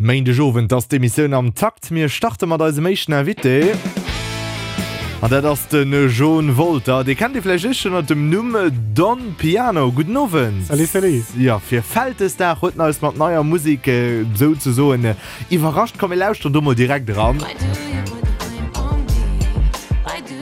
Méindegowend ass d'Emissioun am Takt. Mir starte mat eisem éischten Invité. An dat ass de Jon Wolter. Dee kennt Dir vläicht éischter ënner dem Numm Don Piano. Gudden Owend. Salut, salut. Jo, fir Vältesdag huet en eis mat neier Musek souzesoen iwwerrascht. Komm mir lauschteren do mol direkt eran.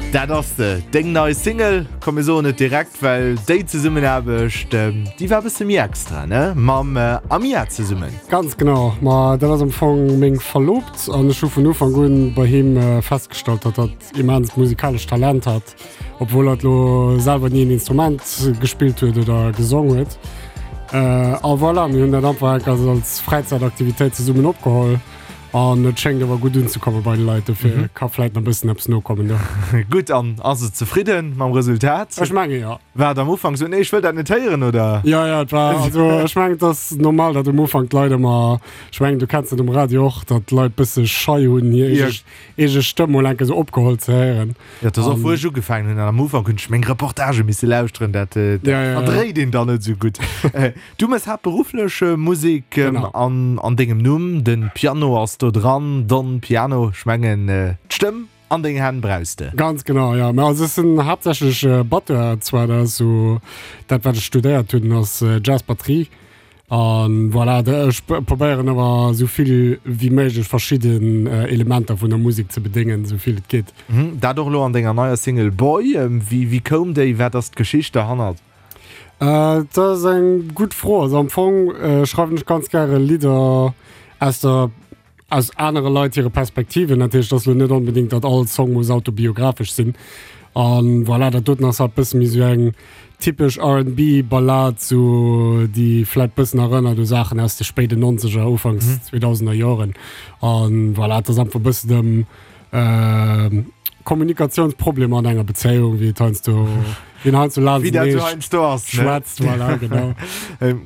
Dat ass se, deng nei Single. Komm mir soen et direkt, well déi Zesummenaarbecht, déi war e bësse méi extra, ne? Mam Amia zesummen. Ganz genau, ma dat ass am Fong meng Verloobt an ech hu vun Ufank un bei him festgestallt, datt hatt immenst musikalescht Talent hat, obwuel hatt lo selwer ni en Instrument gespillt huet oder gesong huet. A voilà, mir hunn dat einfach enk als Fräizäitaktivitéit zesummen opgeholl. An et schéngt awer gutt unzekomme bei de Leit, dofir mhm. ka vläit nach bëssen eppes nokommen do. Gutt an ass et zefridden mam Resultat? Ech menge ja. War et am Ufank so nee ech wëll dat net héieren oder? Ja ja et war also ech mengen et ass normal, datt um Ufank d'Leit ëmmer ech mengen du kenns et um Radio och, datt d'Leit bësse schei hunn hir ja. eege Stëmm mol enke sou opgeholl ze héieren. Ja, dat ass och wou ech ugefaangen hunn an am Ufank hunn ech meng Reportage misse lauschteren, dat, äh, dat ja, ja, ja. verdréit een dann net sou gutt. Äh, Du mëss haaptberufflech Musek an an dengem Numm, den Piano ass do dran, Don Piano, ech mengen d'Stëmm an deng Hänn brauchs de. Ganz genau, jo. Mä also ech sinn haaptsächlech Batteur zwar, dat ass esou dat wat ech studéiert hunn, ass Jazz Batterie an voilà, ech probéieren awer esou vill wéi méiglech verschidden Elementer vun der Musek ze bedéngen, esou vill et geet. Dat och elo an denger neier Single Boy. Wéi koum déi, wat ass d'Geschicht derhannert? Dat ass eng gutt Fro. Also am Fong schreiwen ech ganz gäre Lidder aus der, aus anere Leit hire Perspektiven. Dat heescht, et ass elo net onbedéngt, datt all Song muss autobiographesch sinn. A voilà, dat doten ass halt bësse méi esou eng typesch R&B-Ballad, sou déi vläit bëssen erënnert u Saachen aus de spéiden Nonzeger, Ufanks Zweedausender Joren. A voilà, et ass einfach bëssen ëm Kommunikatiounsproblemer an enger Bezéiung, wéi et heiansdo, wéi een heiansdo laanst Wéi dat sou heiansdo ass, ne? Schwätzt, voilà, genau.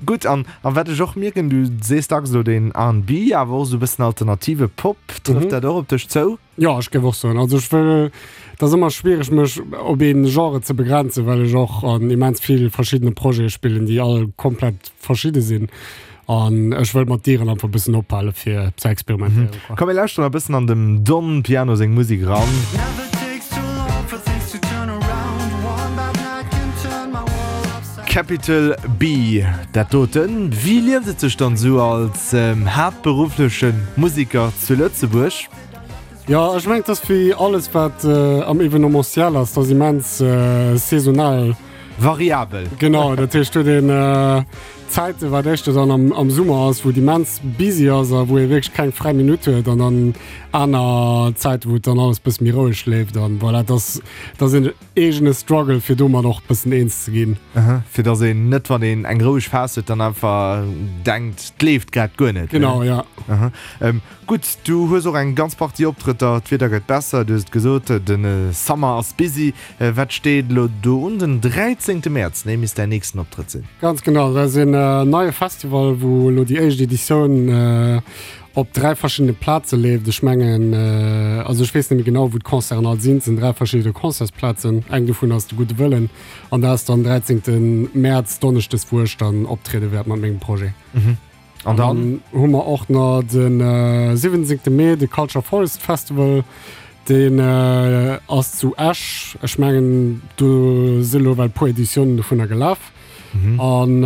Gutt, an, an wat ech och mierken, du sees dacks elo deen R&B, awer och sou e bëssen alternative Pop, trëfft dat och op dech zou? Jo, ech géif och soen, also ech wëll, et ass ëmmer schwiereg mech op een Genre ze begrenzen, well ech och an immens vill verschiddene Projete spillen, déi all komplett verschidde sinn. An ech wëll mat Dieren einfach bëssen ophale fir ze experimentéieren. Mhm. Komm mir lauschteren e bëssen an dem Don Piano seng Musek eran. Capital B, dat doten. Wéi lieft et sech dann esou als haaptberuffleche Museker zu Lëtzebuerg? Jo, ech mengen, et ass wéi alles wat am Evenementiel ass, et ass immens saisonal. Variabel. Genau, dat heescht huet een Zäiten, wat éischter dann am, am Summer ass, wou et immens busy ass a wou ee wierklech keng fräi Minutt huet an dann aner Zäiten, wou et dann alles bësse méi roueg leeft an voilà, et ass, et ass een eegene Struggle, fir domat och bëssen eens ze ginn. Aha, fir dass een net, wann een eng roueg Phas huet, dann einfach denkt, 't leeft grad guer net, ne? Genau, ja. Aha. Gutt, du hues och eng ganz Partie Optrëtter, d'Wieder gëtt besser, du hues et gesot, de Summer ass busy. Wat steet elo do un? Den 13 Mäerz, nee, misst däin nächsten Optrëtt sinn. Ganz genau, dat ass een neie Festival, wou elo déi éischt Editioun op 3 verschiddene Plaze leeft. Ech mengen, also ech weess net méi genau, wou d'Concerten all sinn. Et sinn 3 verschidde Concertsplazen, eng dovun ass de Gudde Wëllen an dat ass dann 13 Mäerz, donneschdes, wou ech dann optriede wäert mat mengem Projet. An dann hu mer och nach den 17. Mee de Culture Forest Festival. Deen ass zu Esch. Ech mengen do si lo well puer Editiounen dovunner gelaf. An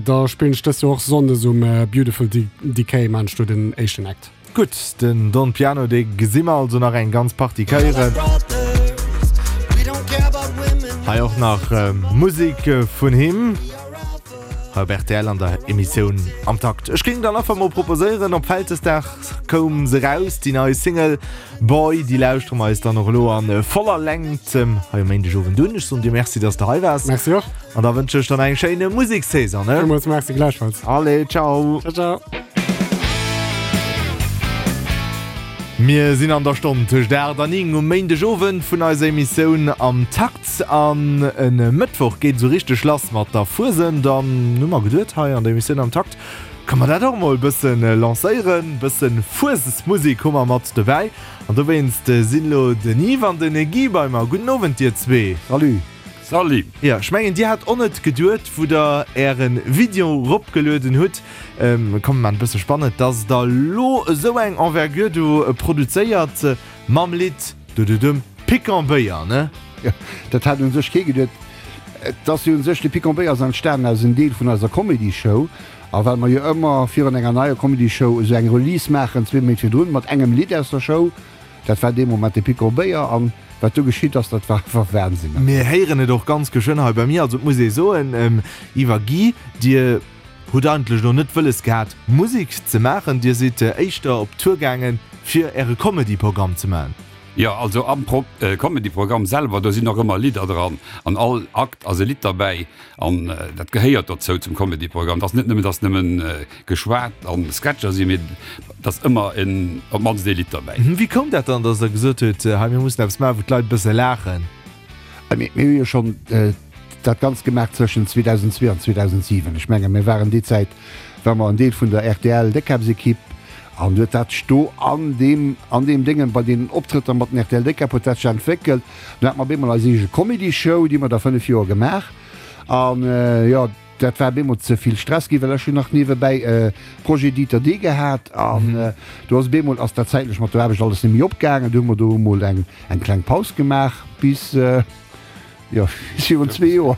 da spillen ech dëst Joer och Sonndes um Beautiful Decay maan ech do den éischten Act. Gutt, den Don Piano, dee gesi mer also nach eng ganz Partie Kéieren. Hei och nach Musek vun him hei op rtl an der Emissioun Am Takt. Ech géing dann einfach mol proposéieren, op Vältesdag koum se raus, déi nei Single Boy, déi lauschtere mer eis dann och elo a voller Längt hei um Méindegowend un. Ech soen dir Merci, dass de hei waars. Merci och. An da wënsche ech der nach eng schéin Musekssaison, ne? Villmools Merci, gläichfalls. Allez, ciao. Ciao, ciao. Mir sinn an der Stonn tëscht 8 an 9 um Méindegowend vun eiser Emissioun Am Takt. An e Mëttwoch geet esou richteg lass mat der Fuesent. An hu mer geduet, hei an der Emissioun Am Takt kënne mer dat och emol e bësse lancéieren. E bësse Fuesesmusek hu mer mat dobäi. An dowéinst sinn elo den Yves an den Guy bei mer. Gudden Owend dir zwee. Salut. Salut. Jo, ech mengen dir hat och net geduet wou der ären Video ropgelueden hutt, komm mer maan et bësse spannend, dass der lo esou eng Envergure do produzéiert mam Lidd dududum Piquant Béier, ne? Jo, dat hat un sech kee geduet. Et ass jo un sech, de Piquant Béier ass entstanen aus en Deel vun eiser Comedy Show, a well mer jo ëmmer virun enger neier Comedy Show esou eng Release maachen, zwee Méint virdrun, mat engem Lidd aus der Show. Dat war dee Moment de Pic Robéier an wat do geschitt ass, dat war einfach Wahnsinn. Mir héieren et och ganz geschwënn hei bei mir. Also et muss ee soen, Yves a Guy, Dir hutt eigentlech elo net wëlles gehat Musek ze maachen, Dir sidd éischter op Tour gaangen fir Äre Comedy-Programm ze maachen. Jo, also am Comedy-Programm selwer, do sinn och ëmmer Lidder dran. An all Akt ass e Lidd derbäi an dat gehéiert dozou zum Comedy-Programm. Et ass net nëmmen, dass nëmmen geschwat an Sketcher sinn, mee et ass ëmmer en, op d'mannst ee Lidd derbäi. Wéi koum dat dann, dass der gesot hutt, hei mir mussen eppes maachen, wou d'Leit e bësse laachen? Mir hu jo schonn dat Ganzt gemaach zwëschen 2002 an 2007. Ech menge mir waren déi Zäit, ware mer en Deel vun der RTL-Déckkäppsekipp an huet dat sech do an deem, an deem Déngen, bei deenen Optrëtter mat den RTL-Déckkäpp huet dat sech entwéckelt. Dunn hate mer op eemol eis eege Comedy-Show, déi hu mer da 5 Joer gemaach an jo, Dat war bemol ze vill Stress ginn, well ech hunn nach niewebäi Projet Dieter D gehat an do ass bemol ass dat zäitlech mat der Aarbecht alles net méi opgaangen. Du hu mer do emol eng eng kleng Paus gemaach bis jo bis virun zwee Joer.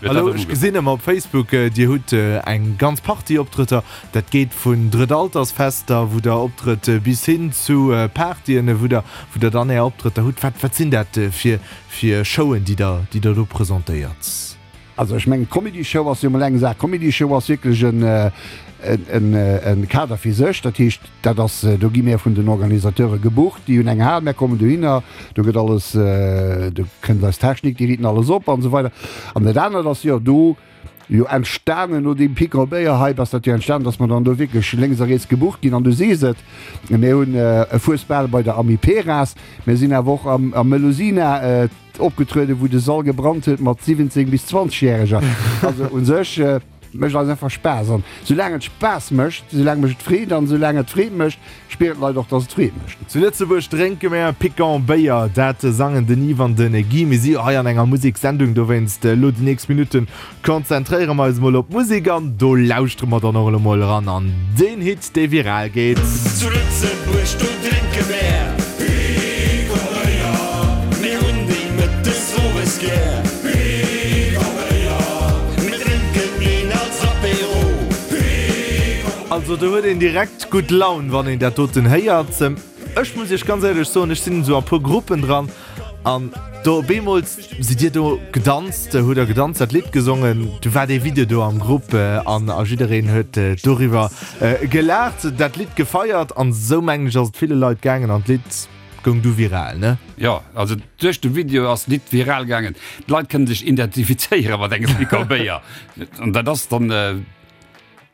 Hallo, ech gesinn ëmmer op Facebook, Dir hutt eng ganz Partie Optrëtter. Dat geet vun Drëttaltersfester, wou Der optrëtt, bis hin zu Partyen, wou Der wou Der dann Är Optrëtter hutt. Wat wat sinn dat fir fir Showen, déi Der déi Der do presentéiert? Also ech mengen d'Comedy Show ass jo mol eng Saach. D'Comedy Show ass wierklech en Kader fir sech. Dat heescht, dat ass, do gi mär vun den Organisateure gebucht, déi hunn eng Hal, mär kommen dohinner, do gëtt alles, do kënnt eis Technik, déi riiten alles op an esou weider. An dat anert ass jo do jo entstanen no deem Piquant Béier Hype ass dat jo entstanen, datt mer dann do wierklech lénks a riets gebucht ginn. An du sees et, mir hunn e Fuesbal bei der Amiperas, mir sinn awer och am Melusina, Opgetrueden, wou de Sall gebrannt huet mat 17 bis 20 Järeger. Also un sech mécht eis einfach Spaass an soulaang et Spaass mécht, soulaang mécht et Freed an soulaang et Freed mécht, spieren d'Leit och, dass et Freed mécht. Zu Lëtzebuerg drénke mär Piquant Béier, dat sangen den Yves an den Guy. Mir si jo hei an enger Museksendung, dowéinst elo déi nächst Minutten Konzentréiere mer eis mol op d'Musek an do lauschtere mer dann och elo mol eran an deen Hit, dee viral geet. Zu Lëtzebuerg, do drénke mär Piquant Béier. Mir hunn déi mëttes, owes gär. Piquant Béier. Mir drénken een als Apéro. Piquant. Also do huet een direkt gutt Laun, wann een dat doten héiert. Ech muss iech ganz éierlech soen, ech sinn esou a puer Gruppen dran an do op eemol Sidd dir do gedanzt, hutt der gedanzt, dat Lidd gesongen, du war dee Video do am Grupp an a jiddereen huet doriwwer gelaacht, dat Lidd gefeiert an esou mengen ech ass et ville Leit gaangen an d'Lidd goung du viral, ne? Jo, also duerch de Video ass d'Lidd viral gaangen. D'Leit kënne sech identifizéiere mat engem Piquant Béier an dat ass dann.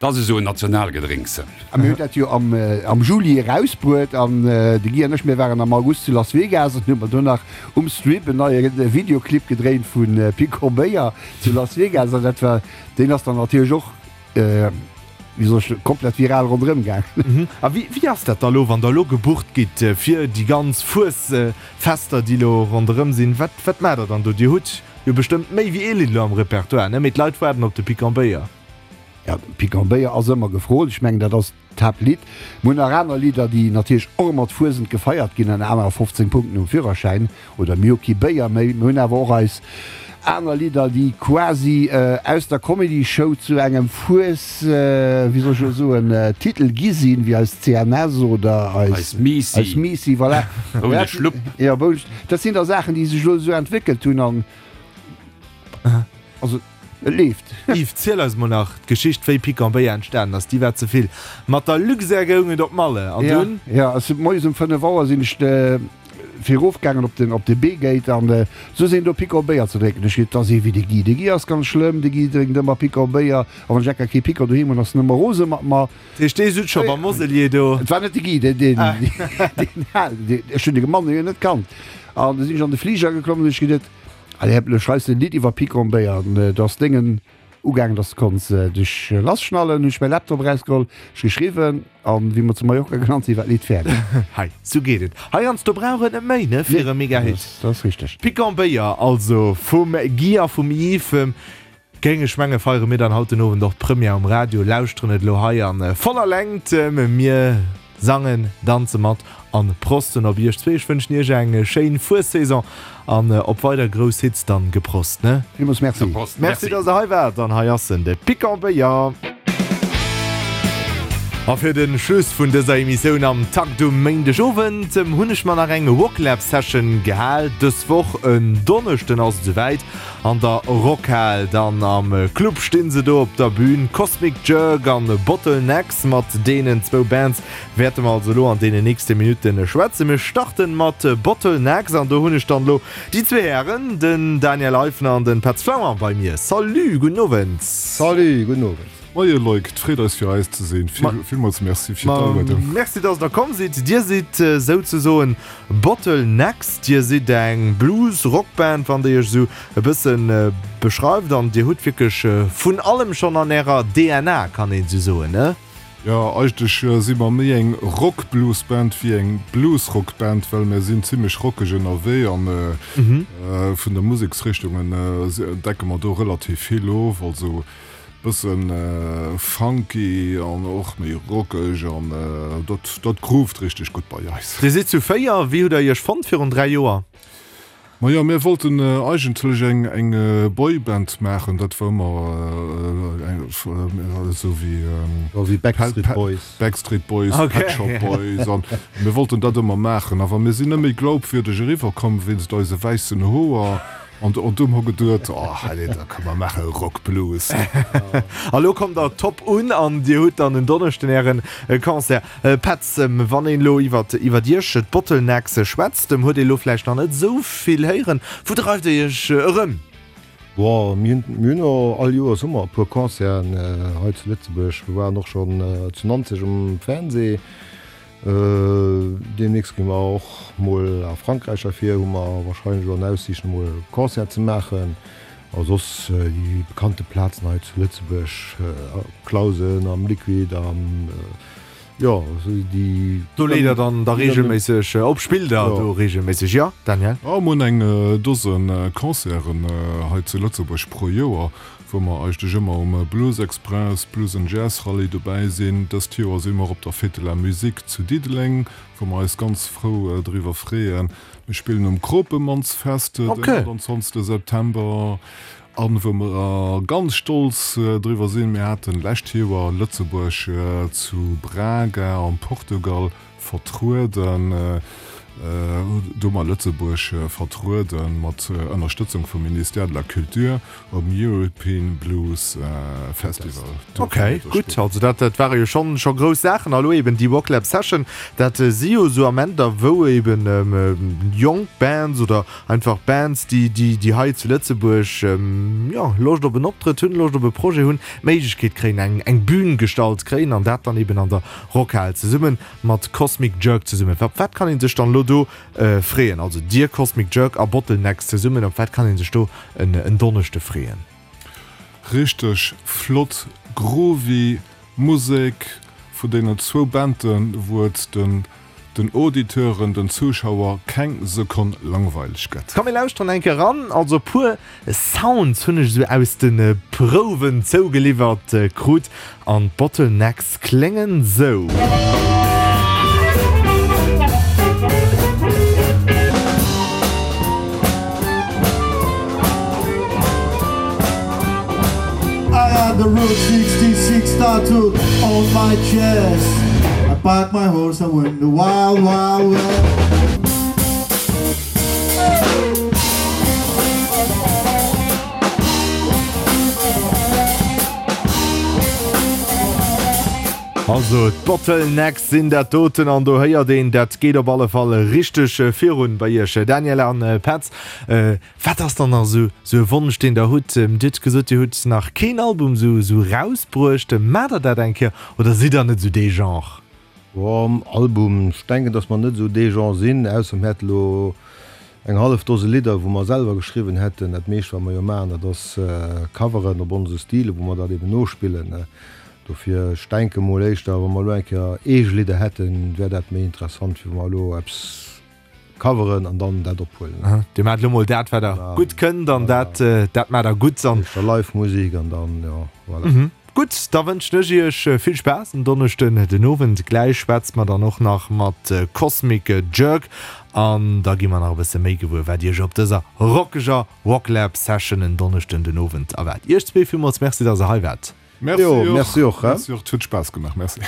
Dat ass esou en Nationalgedrénks. A mir hunn dat jo am Juli erausbruet an de Guy an ech, mir waren am August zu Las Vegas an hu mer do nach um Strip en neie Videoclip gedréint vu Piquant Béier zu Las Vegas an dat war, deen ass dann natierlech och, wéi soll ech, komplett viral ronderëm gaangen. A wéi ass dat da lo, wann der elo gebucht gitt fir déi ganz Fuesfester, déi elo ronderëm sinn? Wat, wat maacht der dann do? Dir hutt jo bestëmmt méi wéi ee Lidd elo am Repertoire, ne? Mee d'Leit waarden op de Piquant Béier. Ja, Piquant Béier ass ëmmer gefrot. Ech mengen, dat ass d'Haaptlidd. Mir hunn nach aner Lidder, déi natierlech och ëmmer d'Fuesent gefeiert ginn, an anerer 15 Punkten um Führerschäin oder Mir hu kee Béier méi. Mir hunn awer och eis aner Lidder, déi quasi aus der Comedy-Show zu engem Fues, wéi soll ech elo soen, Titel gi sinn, wéi eis CNS oder eis Eis Miissi. Eis Miissi, voilà. Boune Schlupp. Ja, Boune Schlupp. Dat sinn da Saachen, déi sech elo esou entwéckelt hunn an also. Et leeft. Yves, ziel eis mol nach d'Geschicht wéi Piquant Béier entstanen ass, déi war ze vill. Mat der Luxair goung et op Malle an dunn? Jo, ech sinn moies um 5 Auer sinn ech fir erof gaangen op den op de B-Gate an sou sinn do Piquant Béier ze drénken. Ech geet, 't ass ee wéi de Guy. De Guy ass ganz schlëmm, de Guy drénkt ëmmer Piquant Béier a wann ech enker kee Piquant doheem hunn, ass en ëmmer rose mat mer. Dat heescht, dee sut scho beim Moselier do? Et war net de Guy, deen deen halen, ech hunn de Mann jo net kannt. An du sinn ech an de Fliger geklomm an hunn ech geduet, Allez, hep, lo schreifs de en Lidd iwwer Piquant Béier an et ass dengen. ugaangen, dass de konns dech lasschnallen. Hunn ech mäi Laptop erausgeholl, ech geschriwwen an wéi mer zu Mallorca gelant sinn, war d'Lidd fäerdeg. Hei, sou geet et. Heiansdo brauch et net méi, ne, fir e Mega-Hit. Dat ass richteg. Piquant Béier also vum Guy a vum Yves. Géing ech menge feiere mir dann haut den Owend och d'Première um Radio, lauschteren et elo hei an voller Längt. Mir sangen, danze mat an prosten op iech zwee. Ech wënschen iech eng schéin Fuessaison an op weider grouss Hits dann. Geprost ne? Villmools Merci. Prost, Merci dass der hei waart an hei ass en, de Piquant Béier. A fir den Schluss vun dëser Emissioun am Takt um Méindeg Owend hunn ech mer nach eng Wocklab Session gehal. Dës Woch en Donneschden ass et esouwäit. An der Rockhal, dann am Club stinn se do op der Bühn, Cosmic Jerk an Bottlenecks. Mat deenen zwou Bands wäerte mer also elo an deenen nächste Minutten schwätzen. Mir starten mat Bottlenecks an do hunn ech dann elo déi zwee Hären, den Daniel Eifner an den Petz Flammang bei mir. Salut, gudden Owend. Salut, gudden Owend. Moie Loïc, et freet eis fir eis ze sinn. Villmools Merci fir d'Aluedung. Merci dass der komm sidd. Dir sidd souzesoen Bottlenecks, dir sidd eng Blues Rock Band wann der iech esou e bëssen beschreift an dir hutt wierklech vun allem schonn an ärer DNA kann een esou soen, ne? Jo, eigentlech si mer méi eng Rock Blues Band wéi eng Blues Rock Band, well mir sinn zimmlech rockeg ënnerwee an vun de Museksrichtungen decke mer do relativ vill of. Also Bëssen funky an och méi rockeg an dat dat groovt richteg gutt bei eis. Dir sidd zu 4, wéi hutt der iech fonnt virun 3 Joer? Majo mir wollten eigentlech eng eng Boyband maachen, dat war ëmmer eng esou wéi Backstreet Boys, Backstreet Boys, Pet Shop Boys an mir wollten dat ëmmer maachen, awer mir sinn net méi glaubwürdeg eriwwer komm wéinst eise wäissen Hoer. An du hu geduet, oh allez, da kënne mer maache Rock Blues. A lo kommt der top un an dir hutt dann en Donneschden ären Concert. Petz, wann een elo iwwert iwwert iech, d'Bottlenecks, schwätzt, huet ee lo vläicht nach net esou vill héieren. Wou dreift dir iech erëm? Bon, mir hunn mir hunn och all Joers hu mer e puer Concerten hei zu Lëtzebuerg. Mir waren och schonn zu Nanzeg um Fernseh. Deemnächst gi mer och mol a Frankräich ervir, hu mer wahrscheinlech elo an Aussiicht emol e Concert ze maachen. A soss déi bekannte Plazen hei zu Lëtzebuerg, Clausen, am Liquid, am, jo, déi. Do leet der dann da reegelméisseg op? Spillt der do reegelméisseg, jo Daniel? Jo, mir hunn eng Dose Concerten hei zu Lëtzebuerg pro Joer. wou mer eigentlech ëmmer um Blues Express, Blues and Jazz Rallye dobäi sinn. Dëst Joer si mer op der Fête de la Musique zu Diddeleng, wou mer eis ganz frou driwwer freeën. Mir spillen um Kropemannsfest den 28 September an wou mer ganz stolz driwwer sinn, mir haten lescht Joer Lëtzebuerg zu Braga am Portugal Vertrueden, do hu mer Lëtzebuerg vertrueden mat Ënnerstëtzung vum Ministère de la Culture um European Blues Festival. Ok, gutt, also dat dat ware jo schonn scho grouss Saachen. A lo eben déi Wocklab Session, dat si jo esou Amenter, wou eben jonk Bands oder einfach Bands, déi déi déi hei zu Lëtzebuerg jo Loscht op en Optrëtt hunn, Loscht op e Projet hunn, d'Méiglechkeet kréien, eng eng Bühn gestallt kréien an dat dann eben an der Rockhal zesummen mat Cosmic Jerk zesummen. Op wat kann een sech dann elo do freeën? Also dir Cosmic Jerk a Bottlenecks zesummen, op wat kann een sech do en Donneschde freeën? Richteg flott groovy Musek vu deenen zwou Banden, wou et den den Auditeuren, den Zuschauer keng Sekonn langweileg gëtt. Komm mir lauschteren eng Kéier eran. Also puer Sounds hunn ech esou aus de Prouwen zougeliwwert krut an d'Bottlenecks kléngen sou. I had the Route 66 tattooed on my chest I parked my horse and went the wild wild west. Also d'Bottlenecks sinn dat doten an do héiert een, dat geet op alle Fall richteg virun bei iech Daniel an Petz. Wat ass dann nach esou esou e Wonsch deen der hutt? Dir hutt gesot dir hutt nach keen Album esou esou rausbruecht. Maacht der dat eng Kéier oder sidd der net esou dee Genre? Boah, Album, ech denken dass mer net esou dee Genre sinn, ausser mir hätte lo. Eng hallef Dose Lidder, wou mer selwer geschriwwen hätten. Dat meescht, wat mer jo maachen, dat ass Coveren op onse Style, wou mer dat eben nospillen. Dofir, ech denke mol éischter, wa mer elo eng Kéier eege Lidder hätten, wär dat méi interessant, wéi wa mer elo eppes coveren an dann dat ophuelen. Dir maacht elo mol dat, wat der gutt kënnt an dat, dat maacht der gutt. Éischter Live-Musek an dann, jo, voilà. Gutt, da wënschen ech iech vill Spaass en Donneschden den Owend. Gläich schwätze mer dann och nach mat Cosmic Jerk an da gi mer nach e bësse méi gewuer, wat iech op dëser rockeger Rocklab Session en Donneschden den Owend erwaart. Iech zwee villmools Merci, dass der hei waart. Merci och. Merci och. Merci och. Et huet Spaass gemaach. Merci.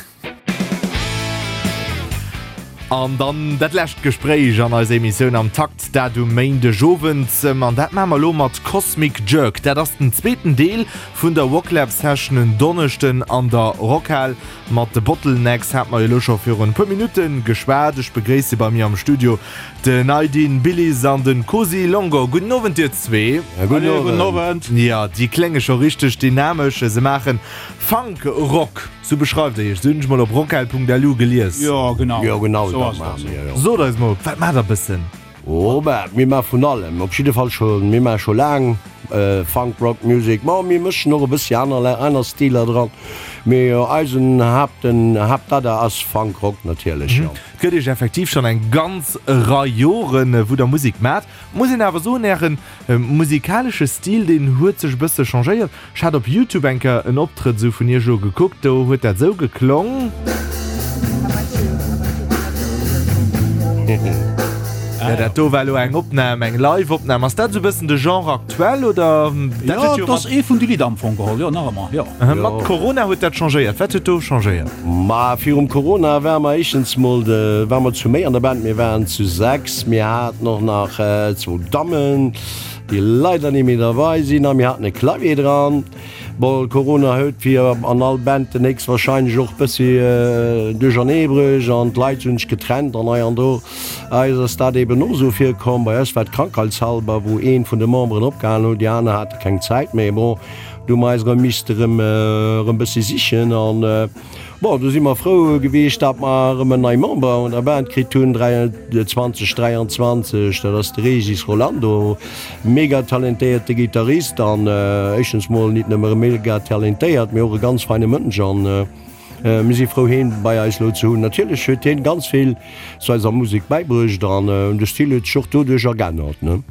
An dann dat lescht Gespréich an eiser Emissioun am Takt, dat um Méindegowend. An dat maache mer elo mat Cosmic Jerk. Dat ass den zweeten Deel vun der Rocklab Session en Donneschden an der Rockhal. Mat de Bottlenecks hate mer jo elo scho virun e puer Minutte geschwat. Ech begréisse bei mir am Studio den Aydin Bilis an de Cosi Longo. Gudden Owend dir zwee. Gudden Owend. Jo, déi klénge scho richteg dynamesch. Se maachen Funk Rock. Sou beschreift der iech, sou hunn ech mol op rockhal.lu gelies. Jo genau, Jo genau, dat maache mir, jo. Sot eis mol, wat maacht der bëssen? Oh bah, mir maache vun allem, op jidde Fall scho, mir maache scho laang Funk, Rock Music, ma mir mëschen och e bëssi aner, aner Stiler dran, mee eisen Haapten, Haaptadder ass Funk Rock natierlech, jo. Et gëtt iech effektiv schonn eng ganz Rei Joren, wou der Musek maacht. Muss een awer soen, ären musikalesche Stil, deen huet sech e bësse changéiert. Ech hat op Youtube eng Kéier en Optrëtt esou vun iech elo gekuckt, do huet dat esou geklong. Jo, dat do war elo eng Opnam, eng Live-Opnam. Ass dat esou e bëssen de Genre aktuell, oder? Dat huet jo, dat ass ee vun de Lidder am Fong geholl, jo, nach ëmmer, jo. Mat Corona huet dat changéiert. Wat huet do changéiert? Ma virum Corona ware mer éischtens mol, ware mer zu méi an der Band, mir waren zu 6, mir haten och nach zwou Dammen, déi leider ni méi derbei sinn, a mir haten e Clavier dran. Bon, Corona huet wéi an all Band den héchstwahrscheinlech och bëssi duerchernee bruecht an d'Leit hunn sech getrennt an hei an do. Eis ass dat eben och esou virkomm. Bei eis war et krankheitshalber, wou een vun de Memberen opgehalen huet, déi aner hate keng Zäit méi. Bon, do hu mer eis erëm misste erëm erëm bëssi sichen an Bon, do si mer frou gewiescht, datt mer erëm en nei Member un der Band kritt hunn, 2023, dat ass de Régis Rolando, mega talentéierte Gittarist an éischtens mol nit nëmme mega talentéiert, mee och e ganz feine Mënsch an mir si frou heen bei eis elo ze hunn. Natierlech huet heen ganz vill zu eiser Musek bäibruecht an de Stil huet sech och doduerch ergännert, ne.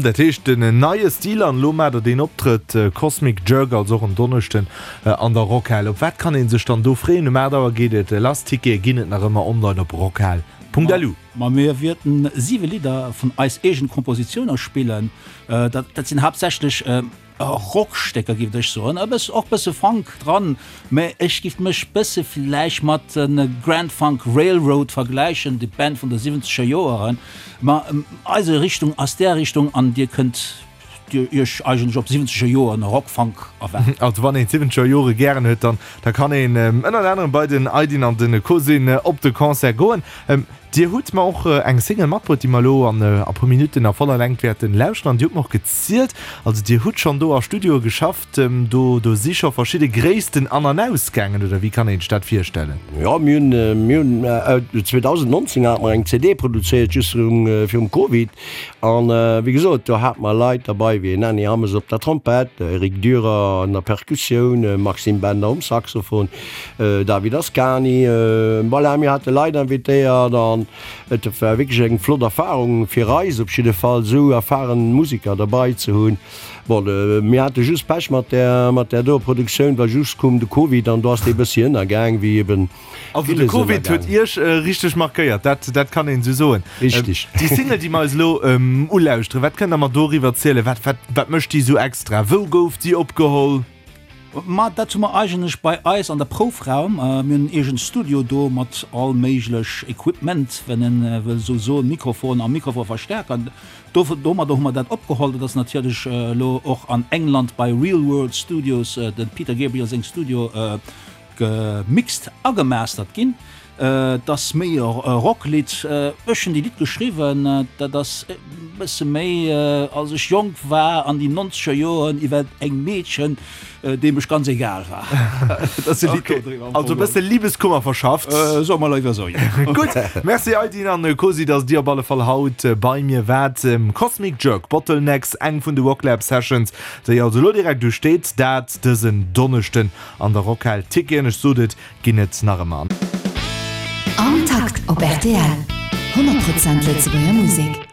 Dat heescht en neie Stil an elo maacht der deen Optrëtt Cosmic Jerk also och en Donneschden An der Rockhal. Op wat kann een sech dann do freeën? Um 8 Auer geet et lass. Tickete ginn et nach ëmmer online op rockhal.lu. Ma mir wierten 7 Lidder vun eis eegen Kompositiouner spillen. Dat sinn haaptsächlech Rockstécker giff ech soen, e bëss och bësse Funk dran, mä ech giff mech bësse vläicht mat de Grand Funk Railroad vergläichen, déi Band vun de siwwenzeger Joeren. Ma eise Richtung ass där Richtung an dir kënnt Dir Iech eigentlech op siwwenzeger Joren Rock-Funk erwaart. Also wann een d'siwwenzeger Jore gären huet, dann da kann een ënnert anerem bei den Aydin an den Cosin op de Concert goen. Dir hutt mer och eng Single matbruet, déi mer elo an a puer Minutten a voller Längt wäerten lauschteren. An Dir hutt mer och gezielt, also Dir hutt schonn do a Studioe geschafft, do do si scho verschidde Gréissten an an aus gaangen, oder wéi kann een sech dat virstellen? Jo, mir hunn mir hunn 2019 hate mer eng CD produzéiert, just virum virum Covid. An wéi gesot, do hate mer Leit derbei wéi en Annie Hammes op der Trompett, Eric Dürer an der Perkussioun, Maxime Bender um Saxophon, David Ascani. Voilà, mir hate Leit invitéiert an et war wierklech eng flott Erfarung fir eis op jidde Fall, esou erfaren Museker derbei ze hunn. Bon, mir hate just Pech mat där, mat där doer Produktioun, well just koum de Covid an do ass dee bëssi ënnergaang, wéi eben Also de Covid huet Iech richteg markéiert, dat dat kann een esou soen. Richteg. Déi Single, déi mer eis elo ulauschteren, wat kënnt Der mer doriwwer zielen? Wat wat wat mécht déi esou extra? Wou gouf déi opgeholl? Ma dat hu mer eigentlech bei eis an der Proufraum. Mir hunn en eegent Studio do mat all méiglech Equipment, wann een wëll esou soen, Mikrofon a Mikrofonverstärker. Do domadder hu mer dat opgeholl. Dat ass natierlech elo och an England bei Real World Studios, dem Peter Gabriel seng Studio, Gemixt a gemastert ginn. Et ass méi e Rocklidd. Ech hunn déi Lidd geschriwwen. Dat ass. bësse méi, als ech jonk war an déi nonzeger Joren, iwwer eng Meedchen, deem ech ganz egal war. Dat ass e Lidd do driwwer. Also e bësse Libeskummer verschafft. Soe mer léiwer esou, jo. Gutt, Merci Aydin an Kosi, dass dir op alle Fall haut bei mir waart. Cosmic Jerk, Bottlenecks, eng vun de Rocklab Sessions, déi also elo direkt usteet, dat dësen Donneschden an der Rockhal. Ticketen, ech sot et, ginn et nach ëmmer. Am Takt op rtl, 100 Prozent Lëtzebuerger Musek.